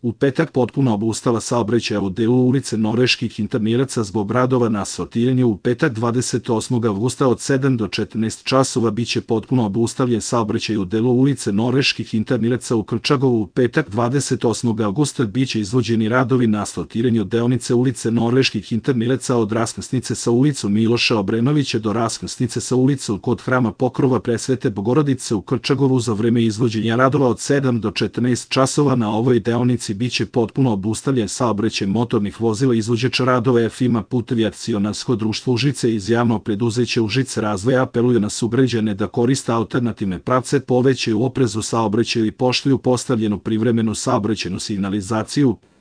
U petak potpuno obustala saobraćaja u delu ulice Norveških intermiraca zbog radova na asfaltiranju. U petak 28. avgusta od 7 do 14 časova biće potpuno obustavljen saobraćaj u delu ulice Norveških intermiraca u Krčagovu. U petak 28. avgusta biće izvođeni radovi na asfaltiranju deonice ulice Norveških intermiraca od raskrsnice sa ulicom Miloša Obrenovića do raskrsnice sa ulicom kod Hrama Pokrova Presvete Bogorodice u Krčagovu. Za vreme izvođenja radova od 7 do 14 časova na ovoj deonici biće potpuno obustavljen saobraćaj motornih vozila. Izvođač radova Firma Putevi akcionarsko društvo Užice iz javnog preduzeća Užice razvoja apeluje na sugrađane da koriste alternativne pravce, povećaju oprez u saobraćaju i poštuju postavljenu privremenu saobraćajnu signalizaciju.